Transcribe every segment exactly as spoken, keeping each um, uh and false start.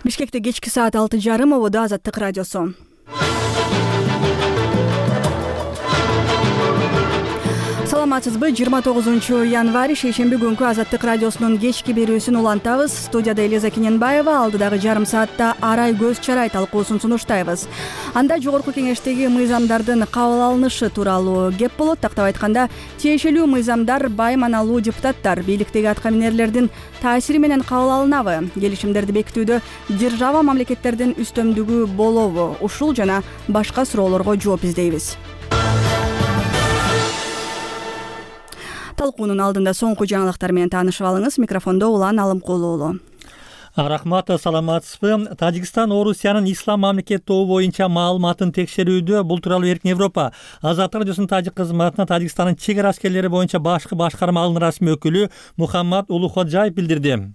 Бишкекте кечки саат алты жарым ободо Азаттык радиосу. Саламатсызбы? жыйырма тогузунчу январь шейшемби күнкү Азаттык радиосунун кечки берүүсүн улантабыз. Студияда Элиза Кененбаева, алдыдагы жарым саатта арай көз чарай талкуусун сунуштайбыз. Анда жогорку кеңештеги мыйзамдардын кабыл алынышы тууралуу кеп болот. Тактап айтканда, тиешелүү мыйзамдар байманалуу депутаттар, бийликтеги аткаминерлердин таасири менен кабыл алынабы? Келишимдерди бекитүүдө держава мамлекеттердин үстөмдүгү болобу? Ушул жана башка суроолорго жооп издейбиз. Талкуунун алдында соңку жаңылыктар менен таанышып алыңыз. Микрофондо Улан Алымкулуу уулу. Рахмат, саламатсызбы? Тажикстан Орусиянын ислам мамлекет тобу боюнча маалыматын текшерүүдө. Бул тууралуу Эркин Европа Азаттык радиосунун тажик кызматына Тажикстандын чек ара аскерлери боюнча башкы башкармалыгынын расмий өкүлү Мухаммад Улуходжаев билдирди.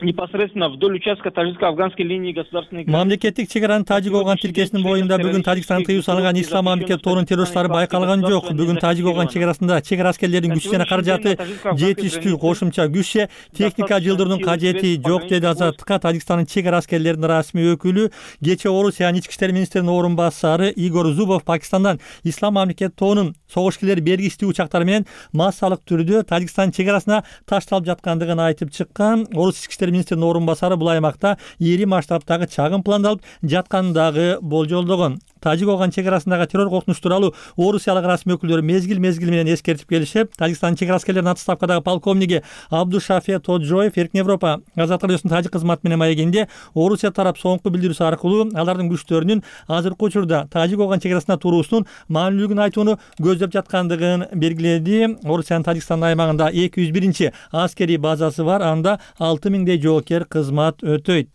Непосредственно вдоль участка тажикско-афганской линии государственной мамлекеттик чек аранын Тажик-Оган тилкесинин боюнда бүгүн Тажикстан тыюу салынган ислам мамлекет тобунун террористтери байкалган жок. Бүгүн Тажик-Оган чек арасында чек ара аскерлеринин күчү жана каражаты жетиштүү, кошумча күч же техника жылдыруунун кажети жок, деди Азаттыкка Тажикстандын чек ара аскерлеринин расмий өкүлү. Кечээ Орусиянын ички иштер министринин орун басары Игорь Зубов Пакистандан ислам мамлекет тобунун согуш-килер бергичтүү учактары менен массалык түрдө Тажикстан чек арасына ташталып жаткандыгын айтып чыккан. Орус ички иштер министринин орун басары бул аймакта ири масштабтагы чагым пландалып жаткандыгы болжолдогон. Тажик-Оган чек арасындагы террор коркунучу тууралуу орусиялык расмий өкүлдөрү мезгил-мезгил менен эскертип келишип, Тажикстандын чек ара аскерлеринин отставкадагы полковниги Абдушафе Тоджоев Эркин Европа Азаттык радиосунун тажик кызматы менен маегинде Орусия тарап соңку билдирүүсү аркылуу алардын күчтөрүнүн азыркы учурда Тажик-Оган чек арасында туруусунун маанилүүлүгүн айтууну көздөп жаткандыгын белгиледи. Орусиянын Тажикстан аймагында эки жүз биринчи аскерий базасы бар, анда алты миңдей жоокер кызмат өтөйт.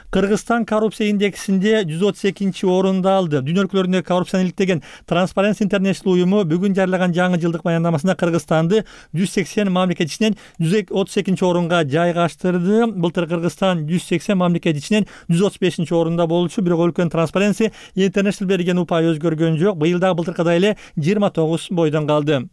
Кыргызстан коррупция индексинде жүз отуз экинчи орунду алды. Дүйнө өлкөлөрүндө коррупцияны иликтеген Transparency International уюму бүгүн жарыяган жаңы жылдык баяндамасында Кыргызстанды жүз сексен мамлекет ичинен жүз отуз экинчи орунга жайгаштырды. Былтыр Кыргызстан жүз сексен мамлекет ичинен жүз отуз бешинчи орунда болчу, бирок өлкөнүн Transparency International берген упай өзгөргөн жок. Быйыл дагы былтыркыдай эле жыйырма тогуз бойдон калды.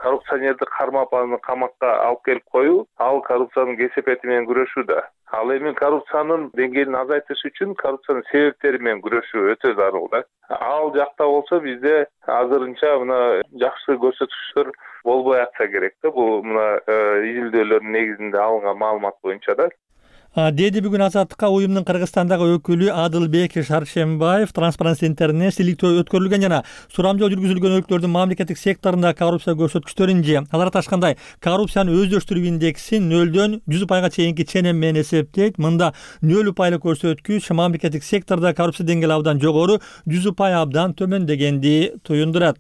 Коррупционерди кармап аны камакка алып келип коюу, ал коррупциянын кесепети менен күрөшүүдө. Ал эми коррупциянын деңгээлин азайтыш үчүн коррупциянын себептери менен күрөшүү өтө зарыл да. Ал жакта болсо бизде азырынча мына жакшы көрсөтүктөр болбой атса керек да. Бул мына изилдөөлөрдүн негизинде алынган маалымат боюнча да. Деди бүгүн Азаттыкка уюмдун Кыргызстандагы өкүлү Адылбек Шаршембаев. Transparency International өткөрүлгөн жана сурамжоо жүргүзүлгөн өлкөлөрдүн мамлекеттик секторунда коррупция көрсөткүчтөрүн же алар аташкандай коррупцияны өздөштүрүү индексин нөлдөн жүз упайга чейинки ченем менен эсептейт. Мында нөл упайлык көрсөткүч мамлекеттик сектордо коррупция деңгээли абдан жогору, жүз упай абдан төмөндөгенди туюндурат.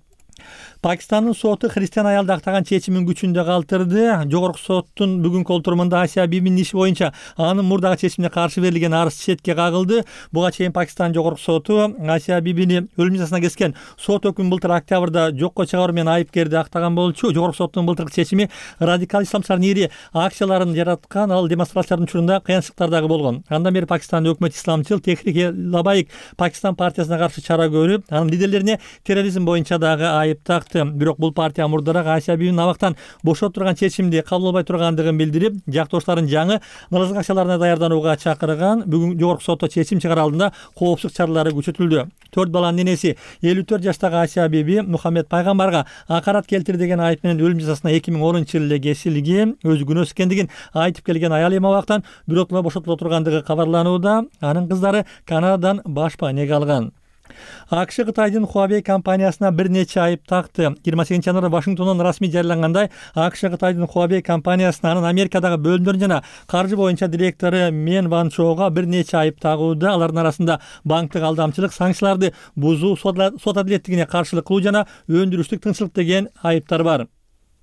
Пакистандын соту христиан аялды актаган чечимин күчүндө калтырды. Жогорку соттун бүгүнкү отурумунда Асия Бибинин иши боюнча анын мурдагы чечимине каршы берилген арыз четке кагылды. Буга чейин Пакистан жогорку соту Асия Бибини өлүм жазасына кескен сот өкүмүн былтыр октябрда жокко чыгаруу менен айыпкерди актаган болчу. Жогорку соттун былтыркы чечими радикал исламчылардын ири акцияларын жараткан, ал демонстрациялардын учурунда кыянчылыктар дагы болгон. Андан бери Пакистандын өкмөт исламчыл Техрик Лабайк Пакистан партиясына каршы чара көрүп, анын лидерлерине терроризм боюнча дагы айып такты. Бирок бул партия мурдараак Асия Бибинин абактан бошоп турган чечимди кабыл албай тургандыгын билдирип, жактошторун жаңы нааразылык акцияларына даярданууга чакырган. Бүгүн жогорку сотто чечим чыгарар алдында коопсуздук чаралары күчөтүлдү. Төрт баланын энеси элүү төрт жаштагы Асия Биби Мухаммед пайгамбарга акарат келтир деген айып менен өлүм жазасына эки миң онунчу жылы эле кесилген. Өзү күнөөсүз экендигин айтып келген аял эми абактан биротула бошотула тургандыгы кабарланууда. Анын кыздары Канададан башпа энеге алган. АКШ Кытайдын Huawei компаниясына бир нече айып такты. жыйырма сегизинчи январда Вашингтондон расмий жарыялангандай, АКШ Кытайдын Huawei компаниясына анын Америкадагы бөлүмдөр жана каржы боюнча директору Мен Ван Чоуга бир нече айып тагууда. Алардын арасында банктык алдамчылык, санкцияларды бузуу, сот адилеттигине каршылык кылуу жана өндүрүштүк тынчсыздык деген айыптар бар.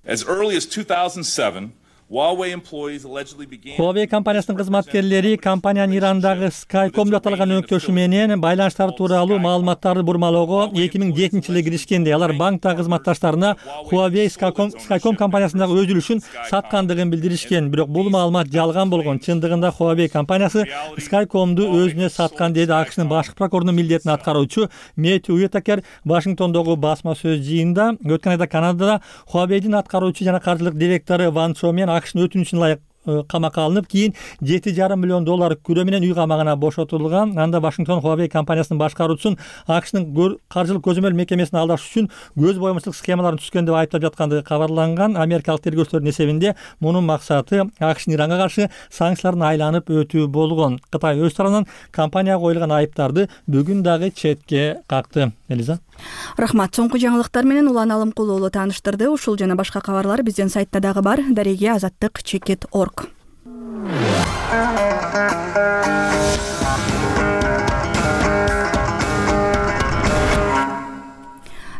As early as two thousand seven, Huawei employees allegedly began Huawei компаниясынын кызматкерлери компаниянын Ирандагы Skycom деп аталган өңкөшү менен байланыштар тууралуу маалыматтарды бурмалоого эки миң жетинчи жылы киришкенде, алар банктагы кызматташтарына Huawei Skycom, Skycom компаниясындагы өз үлүшүн саткандыгын билдиришкен. Бирок бул маалымат жалган болгон. Чындыгында Huawei компаниясы Skycomду өзүнө саткан, деди АКШнын башкы прокурорунун милдетин аткаруучу Мэтью Уитакер Вашингтондогу басма сөз жыйында. Өткөн айда Канадада Huawei'дин аткаруучу жана каржылык директору Ван Чо менен АКШнын өтүнүчүн ылайык камакка алынып, кийин жети жарым миллион доллар күрөө менен үй камагына бошотулган. Анда Вашингтон Huawei компаниясынын башкаруучусун АКШнын каржылык көзөмөл мекемесин алдаш үчүн көз боюмчулук схемаларын түзгөн деп айыптап жаткандыгы кабарланган. Америкалык тергөөчүлөрдүн эсебинде мунун максаты АКШнын Иранга каршы санкцияларын айланып өтүү болгон. Кытай өз тарабынан компанияга коюлган айыптарды бүгүн дагы четке какты. Элиза. Рахмат. Соңку жаңылыктар менен Улан Алымкул уулу тааныштырды. Ушул жана башка кабарлар биздин сайтта дагы бар. Дареге азаттык чекит точка орг.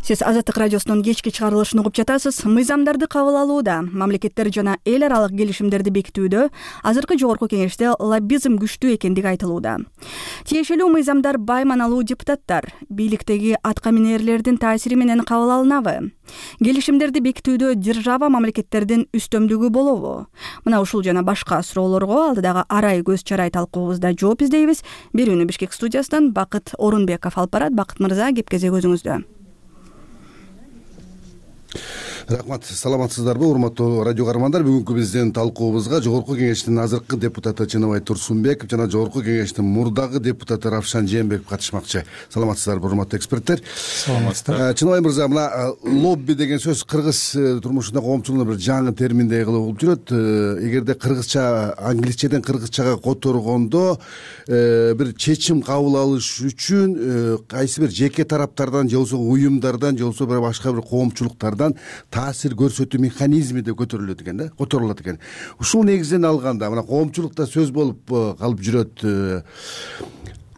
Сиз Азаттык радиосунун кечки чыгарылышын угуп жатасыз. Мыйзамдарды кабыл алууда, мамлекеттер жана эл аралык келишимдерди бекитүүдө азыркы жогорку кеңеште лоббизм күчтүү экендиги айтылууда. Тиешелүү мыйзамдар бай маналуу депутаттар, бийликтеги атка минээрлердин таасири менен кабыл алынабы? Келишимдерди бекитүүдө держава мамлекеттердин үстөмдүгү болобу? Мына ушул жана башка суроолорго алдыдагы арай көз чарай талкуубузда жооп издейбиз. Берүүнү Бишкек студиясынан Бакыт Орунбеков алып барат. Бакыт мырза, кеп кезек өзүңүздө. Рахмат, саламатсыздарбы, урматтуу радио каармандар. Бүгүнкү биздин талкуубузга жогорку кеңештин азыркы депутаты Чыныбай Турсунбеков жана жогорку кеңештин мурдагы депутаты Равшан Жээнбеков катышмакчы. Саламатсыздарбы, урматтуу эксперттер? Саламатсыздар. Чыныбай мырза, мына лобби деген сөз кыргыз турмушунда коомчулугунда бир жаңы терминдей кылып болуп жүрөт. Эгерде кыргызча, англисчеден кыргызчага которгондо бир чечим кабыл алыш үчүн кайсы бир жеке тараптардан же болбосо уюмдардан же болбосо башка бир коомчулуктардан таасир көрсөтүү механизми деп көтөрүлөт экен да, которулат экен. Ушул негизден алганда мына коомчулукта сөз болуп калып жүрөт.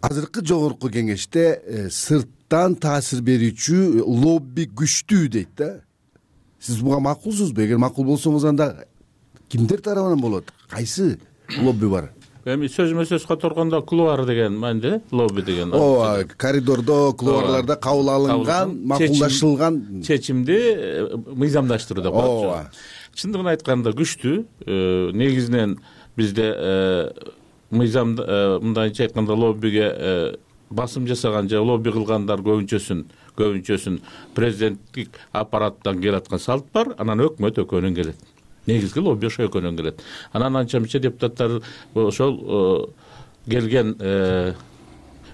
Азыркы жогорку кеңеште сырттан таасир берүүчү лобби күчтүү дейт да. Сиз буга макулсузбу? Эгер макул болсоңуз, анда кимдер тарабынан болот? Кайсы лобби бар? Эми сөзмө сөз которгондо кулуар деген мааниде, лобби деген. Ооба, коридордо, кулуарларда кабыл алынган, макулдашылган чечимди мыйзамдаштыруу деп коет. Ооба. Чындыгын айтканда күчтүү. Негизинен бизде мыйзам мындайча айтканда лоббиге басым жасаган же лобби кылгандар көбүнчөсүн көбүнчөсүн президенттик аппараттан келаткан салт бар, анан өкмөт өкөнөн келет. Негизги лобби ошо өкөнөн келет. Анан анча мынча депутаттар ошол келген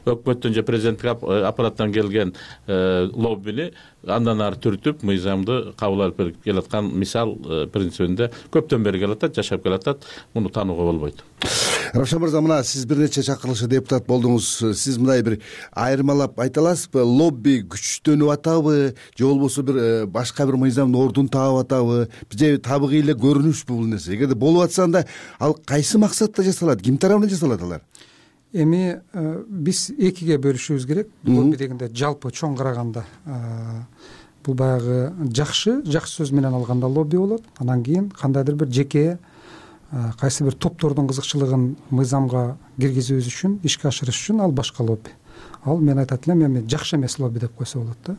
өкмөттөн же президенттик аппараттан келген лоббини андан ары түртүп мыйзамды кабыл алып келаткан мисал принцибинде көптөн бери келатат, жашап келатат. Муну таанууга болбойт. Равшан мырза, мына сиз бир нече чакырылышта депутат болдуңуз. Сиз мындай бир айырмалап айта аласызбы? Лобби күчтөнүп атабы же болбосо бир башка бир мыйзамдын ордун таап атабы же табигый эле көрүнүшпү бул нерсе? Эгерде болуп атса, анда ал кайсы максатта жасалат? Ким тарабынан жасалат алар? Эми биз экиге бөлүшүбүз керек. Лобби дегенде жалпы чоң караганда бул баягы жакшы, жакшы сөз менен алганда лобби болот. Анан кийин кандайдыр бир жеке кайсы бир топтордун кызыкчылыгын мыйзамга киргизүүбүз үчүн, ишке ашырыш үчүн ал башка лобби. Ал мен айтат элем, эми жакшы эмес лобби деп койсо болот да.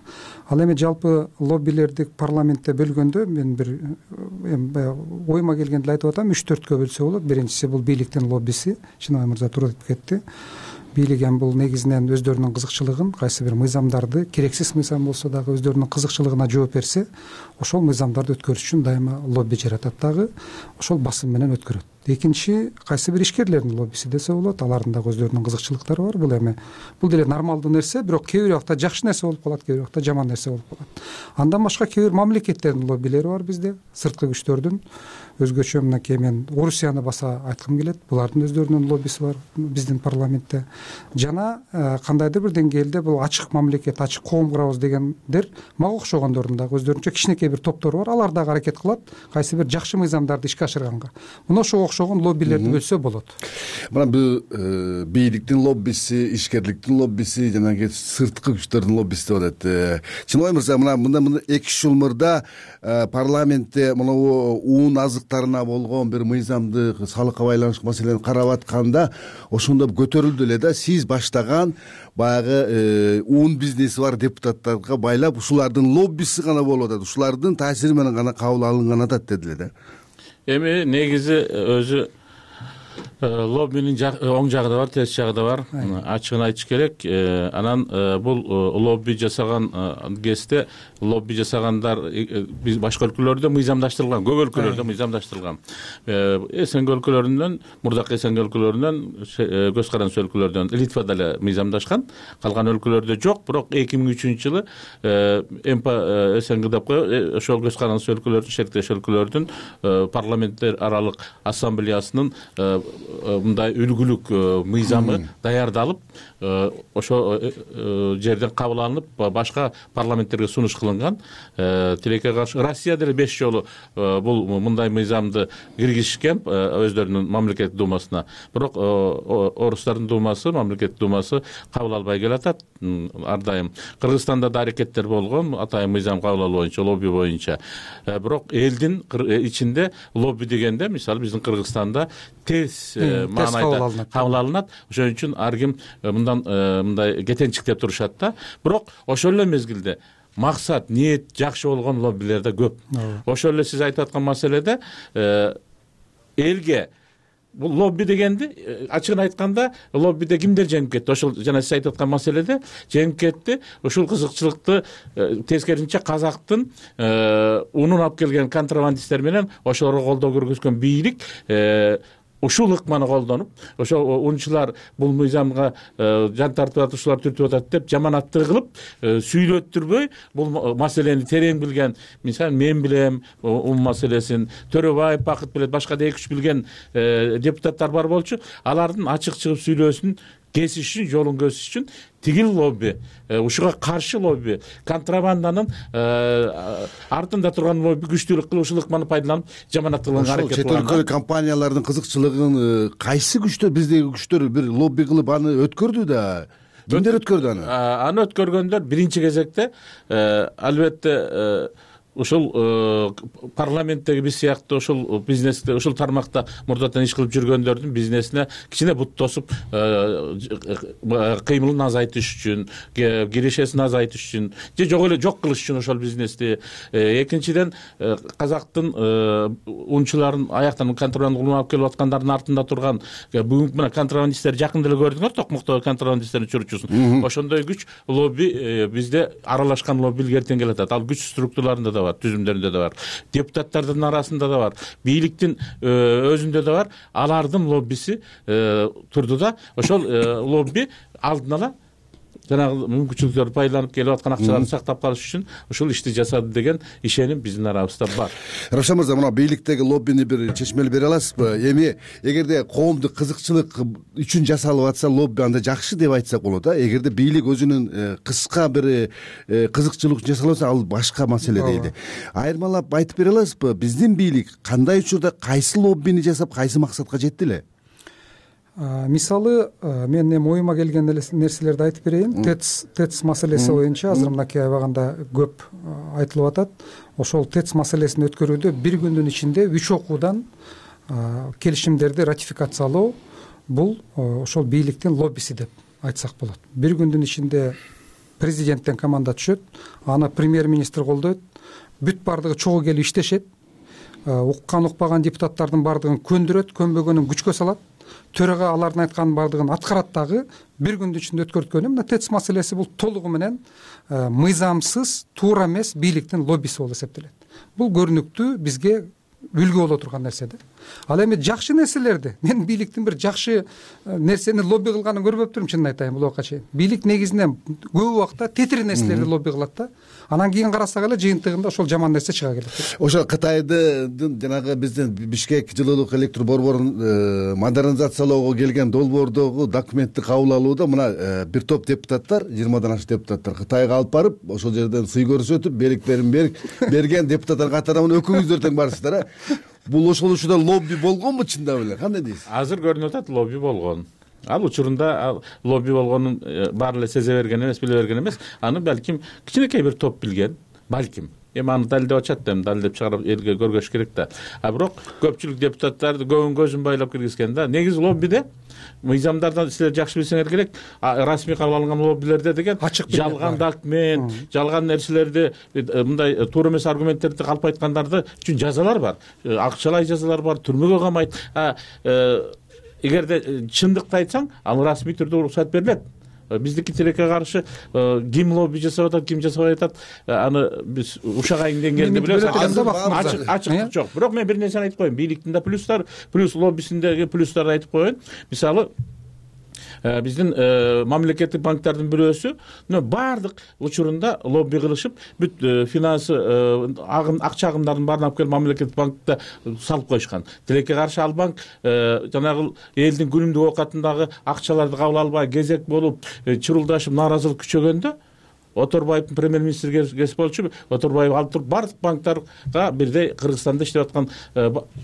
Ал эми жалпы лоббилерди парламентте бөлгөндө мен бир эми оюма келгенди айтып атам, үч төрткө бөлсө болот. Биринчиси бул бийликтин лоббиси. Чыныбай мырза туура айтып кетти. Бийлик эми бул негизинен өздөрүнүн кызыкчылыгын, кайсы бир мыйзамдарды, керексиз мыйзам болсо дагы өздөрүнүн кызыкчылыгына жооп берсе, ошол мыйзамдарды өткөрүш үчүн дайыма лобби жаратат дагы, ошол басым менен өткөрөт. Экинчи кайсы бир ишкерлердин лоббиси десе болот. Алардын дагы өздөрүнүн кызыкчылыктары бар. Бул эми бул деле нормалдуу нерсе, бирок кээ бир убакта жакшы нерсе болуп калат, кээ бир убакта жаман нерсе болуп калат. Андан башка кээ бир мамлекеттердин лоббилери бар бизде, сырткы күчтөрдүн. Өзгөчө мынакей мен Орусияны баса айткым келет. Булардын өздөрүнүн лоббиси бар биздин парламентте. Жана кандайдыр бир деңгээлде бул ачык мамлекет, ачык коом курабыз дегендер мага окшогондордун дагы өздөрүнчө кичинекей бир топтору бар. Алар дагы аракет кылат кайсы бир жакшы мыйзамдарды ишке ашырганга. Мына ошого окшогон лоббилерди бөлсө болот. Мына бул бийликтин лоббиси, ишкерликтин лоббиси, жана сырткы күчтөрдүн лоббиси деп атат. Чыныбай мырза, мына мында эки үч жыл мурда парламентте мына уун азыктарына болгон бир мыйзамды, салыкка байланыштуу маселени карап атканда ошондо көтөрүлдү эле да. Сиз баштаган баягы уун бизнеси бар депутаттарга байлап, ушулардын лоббиси гана болуп атат, ушулардын таасири менен гана кабыл алынган атат дедилер да. Эми негизи өзү Лоббинин оң жагы да бар, терс жагы да бар. Ачыгын айтыш керек. Анан бул лобби жасаган кезде лобби жасагандар биз башка өлкөлөрдө мыйзамдаштырылган, көп өлкөлөрдө мыйзамдаштырылган. СНГ өлкөлөрүнөн, мурдакы СНГ өлкөлөрүнөн, көз карандысыз өлкөлөрдөн Литвада эле мыйзамдашкан, калган өлкөлөрдө жок. Бирок эки миң үчүнчү жылы СНГ деп коебуз, ошол көз карандысыз өлкөлөрдүн, шериктеш өлкөлөрдүн парламенттер аралык ассамблеясынын мындай үлгүлүк мыйзамы даярдалып, ошо жерден кабыл алынып, башка парламенттерге сунуш кылынган. Тилекке каршы Россия деле беш жолу бул мындай мыйзамды киргизишкен өздөрүнүн мамлекеттик думасына. Бирок орустардын думасы, мамлекеттик думасы кабыл албай келатат ар дайым. Кыргызстанда да аракеттер болгон, атайын мыйзам кабыл алуу боюнча, лобби боюнча. Бирок элдин ичинде лобби дегенде, мисалы биздин Кыргызстанда терс маанайда кабыл алынат. Ошон үчүн ар ким мындан мындай кетенчиктеп турушат да. Бирок ошол эле мезгилде максат, ниет жакшы болгон лоббилер да көп. Ошол эле сиз айтып аткан маселеде элге бул лобби дегенди ачыгын айтканда лоббиде кимдер жеңип кетти? Ошол жана сиз айтып аткан маселеде жеңип кетти. Ушул кызыкчылыкты тескерисинче казактын унун алып келген контрабандисттер менен ошолорго колдоо көргөзгөн бийлик ушул ыкманы колдонуп, ошо унчулар бул мыйзамга жан тартып атат, ушулар түртүп атат деп жаманаттык кылып, сүйлөттүрбөй бул маселени терең билген, мисалы мен билем ул маселесин, Төрөбаев Бакыт билет, башка да эки үч билген депутаттар бар болчу. Алардын ачык чыгып сүйлөөсүн кесиш үчүн, жолун кесиш үчүн тигил лобби, ушуга каршы лобби, контрабанданын артында турган лобби күчтүүлүк кылып, ушул ыкманы пайдаланып жаманат кылганга аракет кылган. Чет өлкө компаниялардын кызыкчылыгын кайсы күчтөр, биздеги күчтөр бир лобби кылып аны өткөрдү да. Кимдер өткөрдү аны? Аны өткөргөндөр биринчи кезекте албетте ушул парламенттеги биз сыяктуу ушул бизнесте, ушул тармакта мурдатан иш кылып жүргөндөрдүн бизнесине кичине бут тосуп, кыймылын азайтыш үчүн, кирешесин азайтыш үчүн, же жок эле жок кылыш үчүн ошол бизнести. Экинчиден, казактын унчуларын аяктан контрабанда алып келип аткандардын артында турган бүгүнкү мына контрабандисттер жакында эле көрдүңөр, Токмокто контрабандисттердин учуручусун. Ошондой күч лобби бизде аралашкан лобби илгертен келатат. Ал күч структураларында да бар, түзүмдөрүндө да бар, депутаттардын арасында да бар, бийликтин өзүндө да бар. Алардын лоббиси турду да. Ошол лобби алдын ала жанагы мүмкүнчүлүктөрдү пайдаланып келип аткан акчаларды сактап калыш үчүн ушул ишти жасады деген ишеним биздин арабызда бар. Равшан мырза, мына бийликтеги лоббини бир чечмелеп бере аласызбы? Эми эгерде коомдук кызыкчылык үчүн жасалып атса лобби, анда жакшы деп айтсак болот а. Эгерде бийлик өзүнүн кыска бир кызыкчылык үчүн жасалып атса, ал башка маселе дейли. Айырмалап айтып бере аласызбы? Биздин бийлик кандай учурда кайсы лоббини жасап, кайсы максатка жетти эле? Мисалы, мен эми оюма келген нерселерди айтып берейин. ТЭЦ ТЭЦ маселеси боюнча азыр мынакей аябаганда көп айтылып атат. Ошол ТЭЦ маселесин өткөрүүдө бир күндүн ичинде үч окуудан келишимдерди ратификациялоо бул ошол бийликтин лоббиси деп айтсак болот. Бир күндүн ичинде президенттен команда түшөт, аны премьер-министр колдойт, бүт бардыгы чогуу келип иштешет, уккан укпаган депутаттардын бардыгын көндүрөт, көнбөгөнүн күчкө салат. Төрага алардын айтканын бардыгын аткарат дагы. Бир күндүн ичинде өткөрткөнү мына ТЭЦ маселеси бул толугу менен мыйзамсыз, туура эмес бийликтин лоббиси болуп эсептелет. Бул көрүнүктүү, бизге үлгү боло турган нерсе да. Ал эми жакшы нерселерди, мен бийликтин бир жакшы нерсени лобби кылганын көрбөптүрмүн, чынын айтайын бул убакка чейин. Бийлик негизинен көп убакта тетир нерселерди лобби кылат да. Анан кийин карасак эле жыйынтыгында ошол жаман нерсе чыга келет. Ошо Кытайдын жанагы биздин Бишкек жылуулук электр борборун модернизациялоого келген долбоордогу документти кабыл алууда мына бир топ депутаттар, жыйырмадан ашык депутаттар Кытайга алып барып, ошол жерден сый көрсөтүп, беректерин берген депутаттар катарынан өкүңүздөр тең барсыздар. Бул ошол учурда лобби болгонбу чындап эле? Кандай дейсиз? Азыр көрүнүп атат, лобби болгон. Ал учурунда лобби болгонун баары эле сезе берген эмес, биле берген эмес. Аны балким кичинекей бир топ билген, балким. Эми аны далилдеп атышат да, далилдеп чыгарып элге көргөзүш керек да. А бирок көпчүлүк депутаттарды көбүн көзүн байлап киргизген да. Негизи лоббиде мыйзамдардан силер жакшы билсеңер керек, расмий кабыл алынган лоббилерде деген жалган документ, жалган нерселерди, мындай туура эмес аргументтерди калп айткандарды үчүн жазалар бар. Акчалай жазалар бар, түрмөгө камайт. эгерде чындыкты айтсаң ал расмий түрдө уруксат берилет. Биздики тилекке каршы ким лобби жасап атат, ким жасабай атат, аны биз ушак айын деңгээлинде билебиз. Ачык ачык жок. Бирок мен бир нерсени айтып коеюн. Бийликтин да плюстары, плюс лоббисиндеги плюстарды айтып коеюн. Мисалы, биздин мамлекеттик банктердин бирөөсү баардык учурунда лобби кылышып, бүт финансы акча агымдарын баарын алып келип мамлекеттик банкта салып коюшкан. Тилекке каршы ал банк жанагы элдин күнүмдүк оокатындагы акчаларды кабыл албай кезек болуп, чырылдашып, нааразылык күчөгөндө Оторбаевдин премьер-министр кесип болчу. Оторбаев алып туруп баардык банктарга бирдей Кыргызстанда иштеп аткан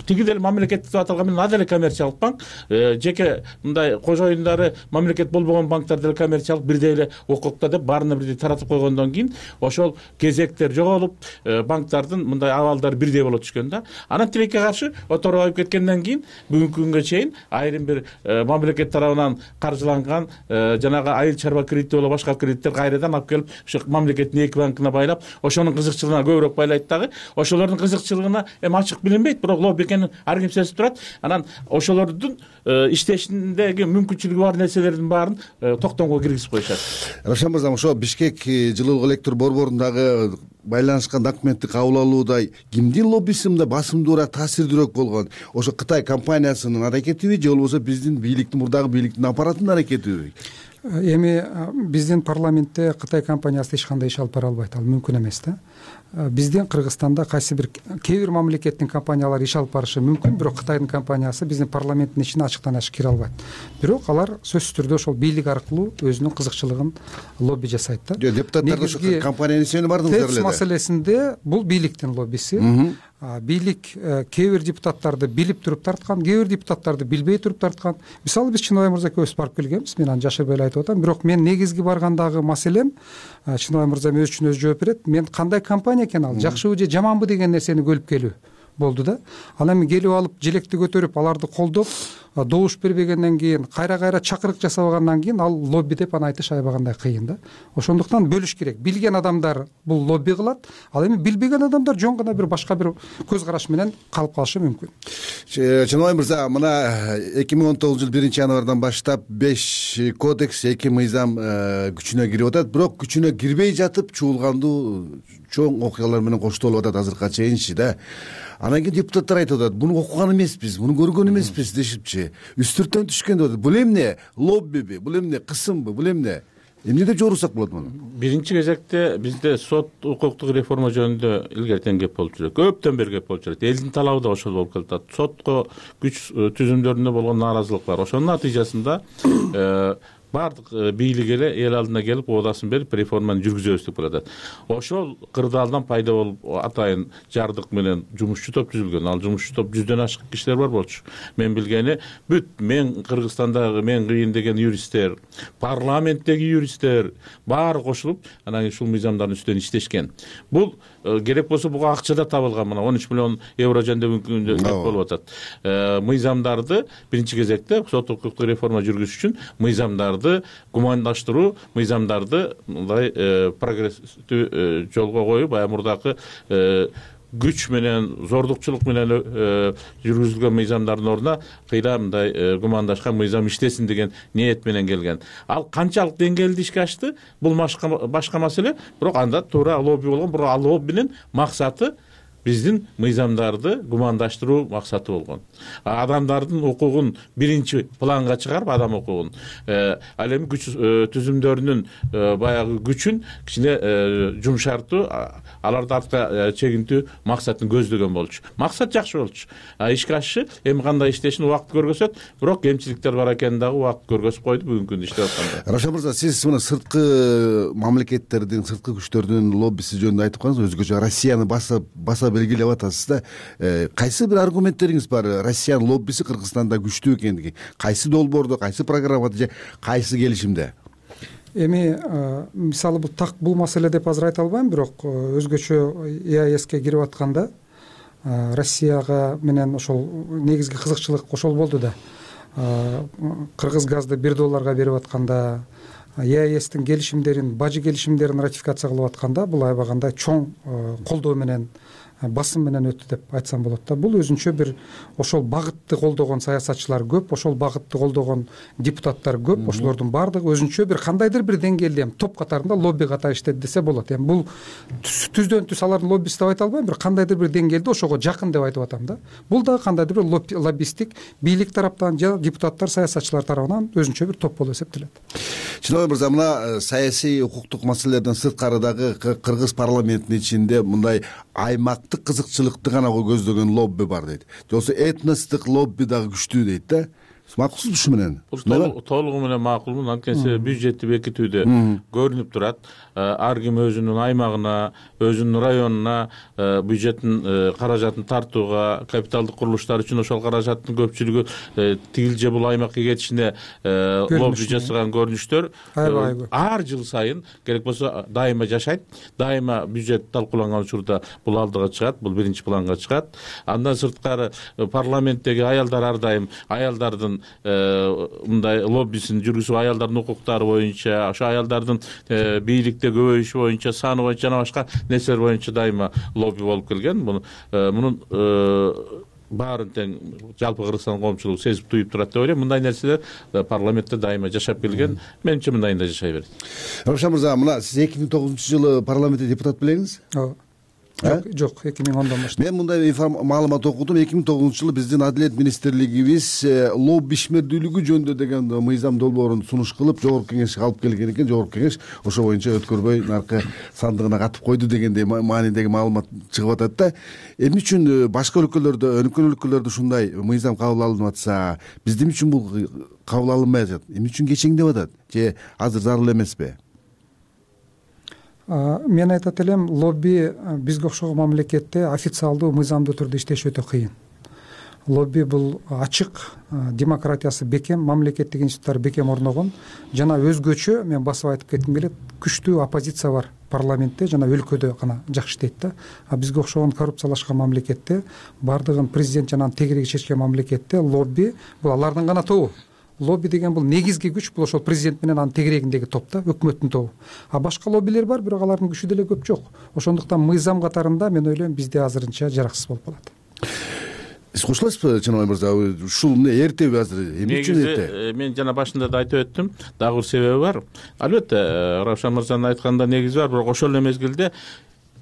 тиги деле мамлекеттик деп аталган менен аделе коммерциялык банк, жеке мындай кожоюндары мамлекет болбогон банктар деле коммерциялык бирдей эле укукта деп баарына бирдей таратып койгондон кийин ошол кезектер жоголуп, банктардын мындай абалдары бирдей боло түшкөн да. Анан тилекке каршы Оторбаев кеткенден кийин бүгүнкү күнгө чейин айрым бир мамлекет тарабынан каржыланган жанагы айыл чарба кредити боло башка кредиттер кайрадан алып келип ушу мамлекеттин эки банкына байлап, ошонун кызыкчылыгына көбүрөөк байлайт дагы. Ошолордун кызыкчылыгына эми ачык билинбейт, бирок лобби экенин ар ким сезип турат. Анан ошолордун иштешиндеги мүмкүнчүлүгү бар нерселердин баарын токтомго киргизип коюшат. Равшан мырза, ошо Бишкек жылуулук электр борборундагы байланышкан документти кабыл алууда кимдин лоббиси мындай басымдуураак, таасирдүүрөөк болгон? Ошо Кытай компаниясынын аракетиби же болбосо биздин бийликтин, мурдагы бийликтин аппаратынын аракетиби? Эми биздин парламентте Кытай компаниясы эч кандай иш алып бара албайт, ал мүмкүн эмес да. Биздин Кыргызстанда кайсы бир кээ бир мамлекеттин компаниялары иш алып барышы мүмкүн, бирок Кытайдын компаниясы биздин парламенттин ичине ачыктан ачык кире албайт. Бирок алар сөзсүз түрдө ошол бийлик аркылуу өзүнүн кызыкчылыгын лобби жасайт да. Депутаттар ошо компаниянын исемине бардыңыздар эле. ТЭЦ маселесинде бул бийликтин лоббиси. Бийлик кээ бир депутаттарды билип туруп тарткан, кээ бир депутаттарды билбей туруп тарткан. Мисалы биз Чынобай мырза экөөбүз барып келгенбиз, мен аны жашырбай эле айтып атам. Бирок мен негизги баргандагы маселем, Чынобай мырза өз үчүн өзү жооп берет, мен кандай компания экен ал, жакшыбы же жаманбы деген нерсени көрүп келүү болду да. Ал эми келип алып желекти көтөрүп, аларды колдоп, добуш бербегенден кийин, кайра-кайра чакырык жасабагандан кийин ал лобби деп аны айтыш аябагандай кыйын да. Ошондуктан бөлүш керек. Билген адамдар бул лобби кылат, ал эми билбеген адамдар жөн гана бир башка бир көз караш менен калып калышы мүмкүн. Чынобай мырза, мына эки миң он тогузунчу жыл биринчи январдан баштап беш кодекс, эки мыйзам күчүнө кирип атат, бирок күчүнө кирбей жатып чуулгандуу чоң окуялар менен коштолуп атат азыркыга чейинчи да. Анан кийин депутаттар айтып атат, буну окуган эмеспиз, буну көргөн эмеспиз дешипчи. Үстүрттөн түшкөн деп атат. Бул эмне? Лоббиби? Бул эмне? Кысымбы? Бул эмне? Эмне деп жоорусак болот муну? Биринчи кезекте бизде сот укуктук реформа жөнүндө илгертен кеп болуп жүрөт. Көптөн бери кеп болуп жүрөт. Элдин талабы да ошол болуп келатат. Сотко күч түзүмдөрүндө болгон нааразылык бар. Ошонун натыйжасында баардык бийлик эле эл алдына келип оодасын берип реформаны жүргүзөбүз деп атат. Ошол кырдаалдан пайда болуп атайын жардык менен жумушчу топ түзүлгөн. Ал жумушчу топ жүздөн ашык кишилер бар болчу. Мен билгени бүт мен Кыргызстандагы мен кыйын деген юристтер, парламенттеги юристтер баары кошулуп, анан ушул мыйзамдардын үстүнөн иштешкен. Бул керек болсо буга акча да табылган, мына он үч миллион евро жөнүндө мүмкүн деп болуп атат. Мыйзамдарды биринчи кезекте сот укуктук реформа жүргүзүш үчүн мыйзамдарды гумандаштыруу, мыйзамдарды мындай прогресстүү жолго коюп, баягы мурдакы күч менен, зордукчулук менен жүргүзүлгөн мыйзамдардын ордуна кыйла мындай гумандашкан мыйзам иштесин деген ниет менен келген. Ал канчалык деңгээлде ишке ашты, бул башка маселе, бирок анда туура лобби болгон, бирок ал лоббинин максаты биздин мыйзамдарды гумандаштыруу максаты болгон. Адамдардын укугун биринчи планга чыгарып, адам укугун, ал эми күч түзүмдөрүнүн баягы күчүн кичине жумшартуу, аларды артка чегинтүү максатын көздөгөн болчу. Максат жакшы болчу. Ишке ашышы эми кандай иштешин убакыт көргөзөт, бирок кемчиликтер бар экенин дагы убакыт көргөзүп койду бүгүнкү күндө иштеп атканда. Равшан мырза, сиз мына сырткы мамлекеттердин, сырткы күчтөрдүн лоббиси жөнүндө айтып калдыңыз, өзгөчө Россияны баса баса белгилеп атасыз да. Кайсы бир аргументтериңиз бар Россиянын лоббиси Кыргызстанда күчтүү экендиги? Кайсы долбоордо, кайсы программада же кайсы келишимде? Эми мисалы бул так бул маселе деп азыр айта албайм, бирок өзгөчө ЕАЭСке кирип атканда Россияга менен ошол негизги кызыкчылык ошол болду да. Кыргыз газды бир долларга берип атканда, ЕАЭСтин келишимдерин, бажы келишимдерин ратификация кылып атканда, бул аябагандай чоң колдоо менен басым менен өттү деп айтсам болот да. Бул өзүнчө бир ошол багытты колдогон саясатчылар көп, ошол багытты колдогон депутаттар көп, ошолордун баардыгы өзүнчө бир кандайдыр бир деңгээлде эми топ катарында лобби катары иштеди десе болот. Эми бул түздөн түз алардын лоббисти деп айта албайм, бир кандайдыр бир деңгээлде ошого жакын деп айтып атам да. Бул дагы кандайдыр бир лоббисттик бийлик тараптан же депутаттар, саясатчылар тарабынан өзүнчө бир топ болуп эсептелет. Чыныбай мырза, мына саясий укуктук маселелерден сырткарыдагы кыргыз парламентинин ичинде мындай аймактык кызыкчылыкты гана көздөгөн лобби бар дейт. Же болбосо этностук лобби дагы күчтүү дейт да. Макулсузбу ушу менен? Толугу менен макулмун. Анткени бюджетти бекитүүдө көрүнүп турат. Ар ким өзүнүн аймагына, өзүнүн районуна бюджеттин каражатын тартууга, капиталдык курулуштар үчүн ошол каражаттын көпчүлүгү тигил же бул аймакка кетишине лобби жасаган көрүнүштөр ар жыл сайын керек болсо дайыма жашайт. Дайыма бюджет талкууланган учурда бул алдыга чыгат, бул биринчи планга чыгат. Андан сырткары парламенттеги аялдар ар дайым аялдардын мындай лоббисин жүргүзүп, аялдардын укуктары боюнча, ошо аялдардын бийликте көбөйүшү боюнча, саны боюнча жана башка нерселер боюнча дайыма лобби болуп келген. Мунун баарын тең жалпы Кыргызстан коомчулугу сезип туюп турат деп ойлойм. Мындай нерселер парламентте дайыма жашап келген. Менимче мындайында жашай берет. Равшан мырза, мына сиз эки миң тогузунчу жылы парламентте депутат белеңиз? Ооба. Жок, жок, эки миң ондон баштап. Мен мындай маалымат окудум. эки миң тогузунчу жылы биздин Адилет министрлигибиз лобби ишмердүүлүгү жөнүндө деген мыйзам долбоорун сунуш кылып, жогорку кеңешке алып келген экен. Жогорку кеңеш ошо боюнча өткөрбөй наркы сандыгына катып койду дегендей маанидеги маалымат чыгып атат да. Эмне үчүн башка өлкөлөрдө, өнүккөн өлкөлөрдө ушундай мыйзам кабыл алынып атса, бизде эмне үчүн бул кабыл алынбай атат? Эмне үчүн кечеңдеп атат? Же азыр зарыл эмеспи? Мен айтат элем, лобби бизге окшогон мамлекетте официалдуу мыйзамдуу түрдө иштеш өтө кыйын. Лобби бул ачык, демократиясы бекем, мамлекеттик институттар бекем орногон жана өзгөчө, мен басып айтып кетким келет, күчтүү оппозиция бар парламентте жана өлкөдө гана жакшы иштейт да. А бизге окшогон коррупциялашкан мамлекетте, бардыгын президент жана тегереги чечкен мамлекетте лобби бул алардын гана тобу. Лобби деген бул негизги күч, бул ошол президент менен анын тегерегиндеги топ да, өкмөттүн тобу. А башка лоббилер бар, бирок алардын күчү деле көп жок. Ошондуктан мыйзам катарында мен ойлойм бизде азырынча жараксыз болуп калат. Сиз кошуласызбы, Чыныбай мырза? Ушул эмне эртеби азыр? Эмне үчүн эрте? Мен жана башында да айтып өттүм, дагы бир себеби бар. Албетте, Равшан мырзанын айтканында негизи бар, бирок ошол эле мезгилде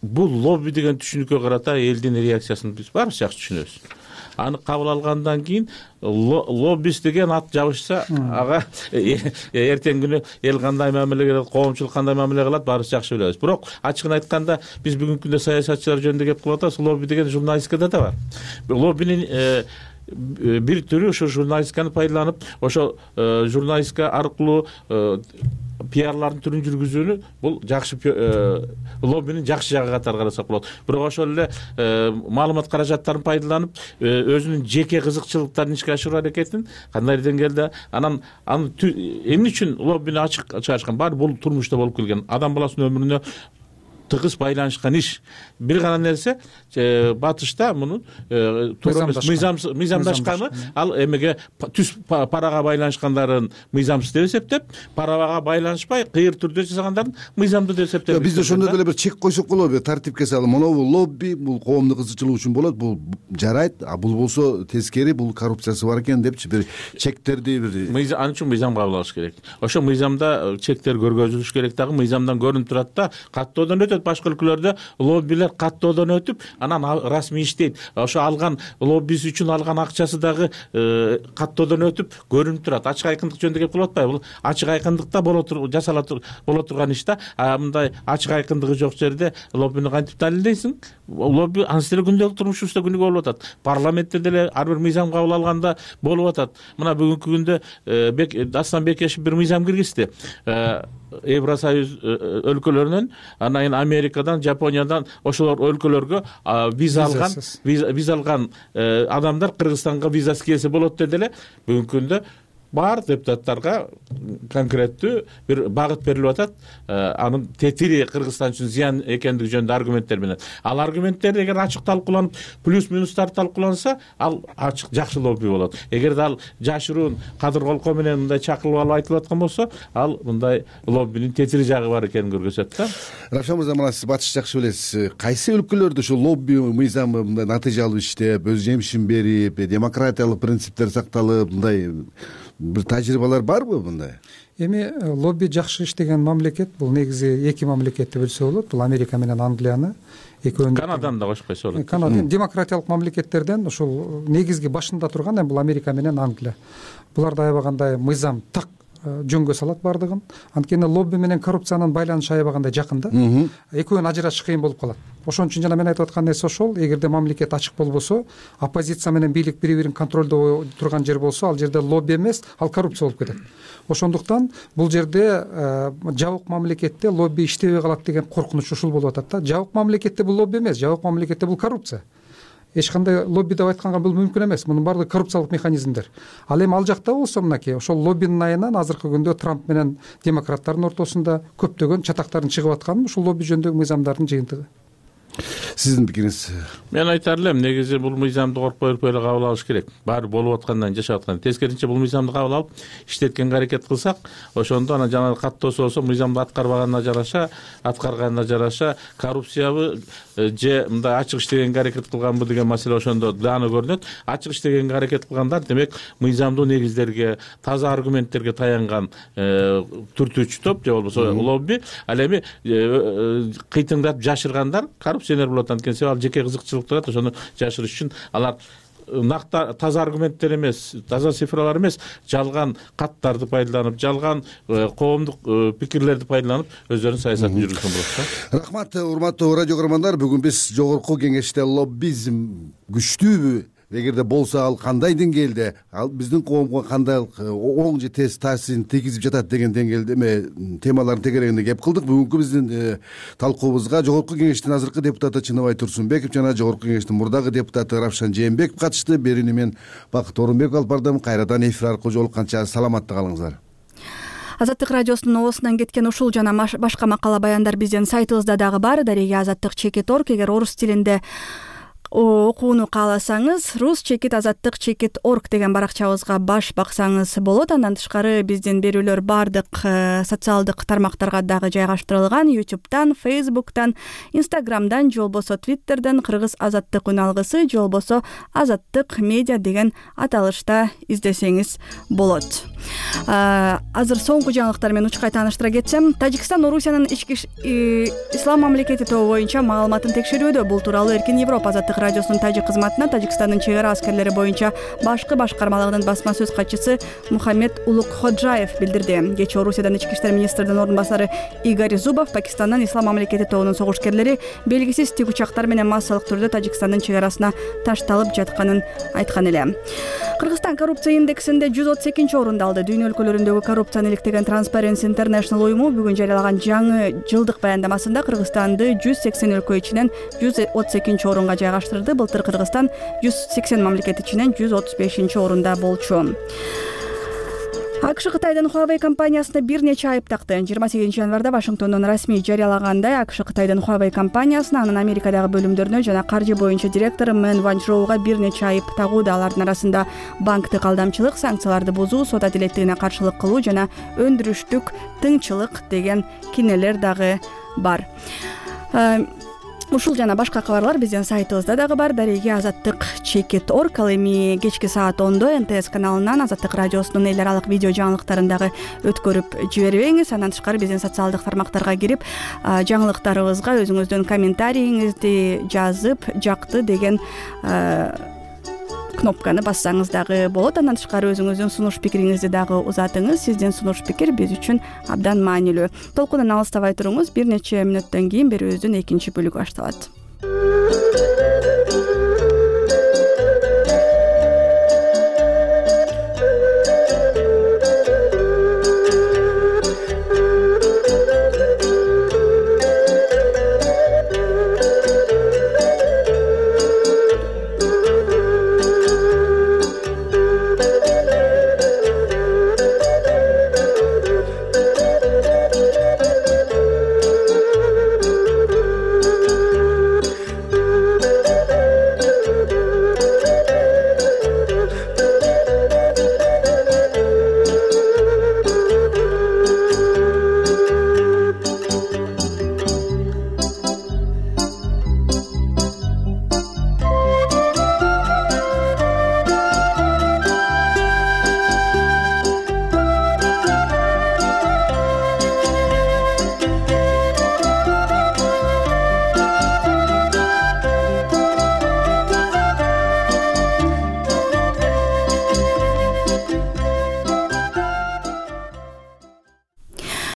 бул лобби деген түшүнүккө карата элдин реакциясын биз баарыбыз жакшы түшүнөбүз. Аны кабыл алгандан кийин лоббист деген ат жабышса, ага эртең күнү эл кандай мамиле кылат, коомчулук кандай мамиле кылат, баарыбыз жакшы билебиз. Бирок ачыгын айтканда, биз бүгүнкү күндө саясатчылар жөнүндө кеп кылып атабыз. Лобби деген журналистикада да бар. Лоббинин бир түрү ошо журналистиканы пайдаланып, ошо журналистика аркылуу пиарлардын түрүн жүргүзүүнү бул жакшы лоббинин жакшы жагы катары карасак болот. Бирок ошол эле маалымат каражаттарын пайдаланып, өзүнүн жеке кызыкчылыктарын ишке ашыруу аракетин кандай деңгээлде анан аны эмне үчүн лоббини ачык чыгарышкан? Баары бул турмушта болуп келген. Адам баласынын өмүрүнө тыгыз байланышкан иш. Бир гана нерсе, батышта мунун мыйзамдашканы, ал эмеге түз парага байланышкандарын мыйзамсыз деп эсептеп, парага байланышпай кыйыр түрдө жасагандарын мыйзамдуу деп эсептеп. Бизде ошондой деле бир чек койсок болобу, тартипке салып, мына бул лобби, бул коомдук кызыкчылык үчүн болот, бул жарайт, а бул болсо тескери, бул коррупциясы бар экен депчи бир чектерди бир мыйзам, анын үчүн мыйзам кабыл алыш керек. Ошо мыйзамда чектер көргөзүлүш керек, дагы мыйзамдан көрүнүп турат да, каттоодон өтөт. Башка өлкөлөрдө лоббилер каттоодон өтүп, анан расмий иштейт. Ошо алган лоббиси үчүн алган акчасы дагы каттоодон өтүп көрүнүп турат. Ачык айкындык жөнүндө кеп кылып атпайбы? Бул ачык айкындыкта боло туруп жасала боло турган иш да. А мындай ачык айкындыгы жок жерде лоббини кантип далилдейсиң? Лобби анысы деле күндөлүк турмушубузда күнүгө болуп атат. Парламентте деле ар бир мыйзам кабыл алганда болуп атат. Мына бүгүнкү күндө Дастан Бекешев бир мыйзам киргизди. Евросоюз өлкөлөрүнөн, анан кийин Америкадан, Жапониядан ошолор өлкөлөргө виза алган, виза алган адамдар Кыргызстанга визасы келсе болот деди эле. Бүгүнкү күндө бар депутаттарга конкреттүү бир багыт берилип атат, анын тетири Кыргызстан үчүн зыян экендиги жөнүндө аргументтер менен. Ал аргументтер эгер ачык талкууланып, плюс минустар талкууланса, ал ачык жакшы лобби болот. Эгер ал жашыруун кадыр колкоо менен мындай чакырып алып айтылып аткан болсо, ал мындай лоббинин тетири жагы бар экенин көрсөтөт да. Равшан мырза, мына сиз батыш жакшы билесиз. Кайсы өлкөлөрдө ушу лобби мыйзамы мындай натыйжалуу иштеп, өз жемишин берип, демократиялык принциптер сакталып, мындай бир тажрыйбалар барбы мындай? Эми лобби жакшы иштеген мамлекет бул негизи эки мамлекетти бөлсө болот. Бул Америка менен Англияны. Экөөнү Канаданы да кошуп койсо болот. Канада демократиялык мамлекеттерден ушул негизги башында турган бул Америка менен Англия. Буларда аябагандай мыйзам так жөнгө салат бардыгын. Анткени лобби менен коррупциянын байланышы аябагандай жакын да. Экөөнү ажыратыш кыйын болуп калат. Ошон үчүн жана мен айтып аткан нерсе ошол, эгерде мамлекет ачык болбосо, оппозиция менен бийлик бири-бирин контролдоо турган жер болсо, ал жерде лобби эмес, ал коррупция болуп кетет. Ошондуктан бул жерде жабык мамлекетте лобби иштебей калат деген коркунуч ушул болуп атат да. Жабык мамлекетте бул лобби эмес, жабык мамлекетте бул коррупция. Эч кандай лобби деп айтканга бул мүмкүн эмес. Мунун баардыгы коррупциялык механизмдер. Ал эми ал жакта болсо мынакей ошол лоббинин айынан азыркы күндө Трамп менен демократтардын ортосунда көптөгөн чатактардын чыгып атканы ушул лобби жөнүндөгү мыйзамдардын жыйынтыгы. Сиздин пикириңиз? Мен айтар элем, негизи бул мыйзамды коркпой өрпөй эле кабыл алыш керек. Баары болуп аткандан жашап аткан. Тескерисинче бул мыйзамды кабыл алып иштеткенге аракет кылсак, ошондо анан жана каттоосу болсо мыйзамды аткарбаганына жараша, аткарганына жараша коррупциябы же мындай ачык иштегенге аракет кылганбы деген маселе ошондо дааны көрүнөт. Ачык иштегенге аракет кылгандар демек мыйзамдуу негиздерге, таза аргументтерге таянган түртүүчү топ же болбосо лобби. Ал эми кыйтыңдап жашыргандар коррупционер болот. Анткени ал жеке кызыкчылыктар, ошону жашырыш үчүн алар накта таза аргументтер эмес, таза цифралар эмес, жалган каттарды пайдаланып, жалган коомдук пикирлерди пайдаланып өздөрүнүн саясатын жүргүзгөн болот да. Рахмат, урматтуу радио көрөрмандар. Бүгүн биз жогорку кеңеште лоббизм күчтүүбү, эгерде болсо ал кандай деңгээлде, ал биздин коомго кандай оң же терс таасирин тийгизип жатат деген деңгээлде эме темалардын тегерегинде кеп кылдык. Бүгүнкү биздин талкуубузга жогорку кеңештин азыркы депутаты Чыныбай Турсунбеков жана жогорку кеңештин мурдагы депутаты Равшан Жээнбеков катышты. Берүүнү мен Бакыт Орунбеков алып бардым. Кайрадан эфир аркылуу жолукканча саламатта калыңыздар. Азаттык радиосунун оосунан кеткен ушул жана башка макала баяндар биздин сайтыбызда дагы бар. Дареги азаттык чекит орг. Эгер орус тилинде окууну кааласаңыз, рус чекит азаттык чекит орг деген баракчабызга баш баксаңыз болот. Андан тышкары биздин берүүлөр бардык социалдык тармактарга дагы жайгаштырылган. ютубтан, фейсбуктан, инстаграмдан, же болбосо твиттерден кыргыз азаттык үн алгысы, же болбосо азаттык медиа деген аталышта издесеңиз болот. Азыр соңку жаңылыктар менен учкай тааныштыра кетсем, Тажикстан Орусиянын ички ислам мамлекети тобу боюнча маалыматын текшерүүдө. Бул тууралуу Эркин Европа азаттык радиосунун тажик кызматына Тажикстандын чек ара аскерлери боюнча башкы башкармалыгынын басма сөз катчысы Мухаммед Улукходжаев билдирди. Кечээ Орусиядан ички иштер министринин орун басары Игорь Зубов Пакистандан ислам мамлекети тобунун согушкерлери белгисиз тик учактар менен массалык түрдө Тажикстандын чек арасына ташталып жатканын айткан эле. Кыргызстан коррупция индексинде жүз отуз экинчи орунду алды. Дүйнө өлкөлөрүндөгү коррупцияны иликтеген Transparency International уюму бүгүн жарыялаган жаңы жылдык баяндамасында Кыргызстанды жүз сексен өлкө ичинен жүз отуз экинчи орунга жайгаштырды. Былтыр Кыргызстан жүз сексен мамлекет ичинен жүз отуз бешинчи орунда болчу. АКШ Кытайдын Huawei компаниясына бир нече айып такты. жыйырма сегизинчи январда Вашингтондон расмий жарыялагандай АКШ Кытайдын Huawei компаниясына, анын Америкадагы бөлүмдөрүнө жана каржы боюнча директору Мэн Ванчжоуга бир нече айып тагууда. Алардын арасында банктык алдамчылык, санкцияларды бузуу, сот адилеттигине каршылык кылуу жана өндүрүштүк тыңчылык деген кинелер дагы бар. Ушул жана башка кабарлар биздин сайтыбызда дагы бар. Дареги азаттык чекит орг. Ал эми кечки саат ондо эн тэ эс каналынан азаттык радиосунун эл аралык видео жаңылыктарын дагы өткөрүп жибербеңиз. Андан тышкары биздин социалдык тармактарга кирип жаңылыктарыбызга өзүңүздүн комментарийиңизди жазып, жакты деген кнопканы бассаңыз дагы болот. Андан тышкары өзүңүздүн сунуш пикириңизди дагы узатыңыз. Сиздин сунуш пикир биз үчүн абдан маанилүү. Толкундан алыстабай туруңуз. Бир нече мүнөттөн кийин берүүбүздүн экинчи бөлүгү башталат.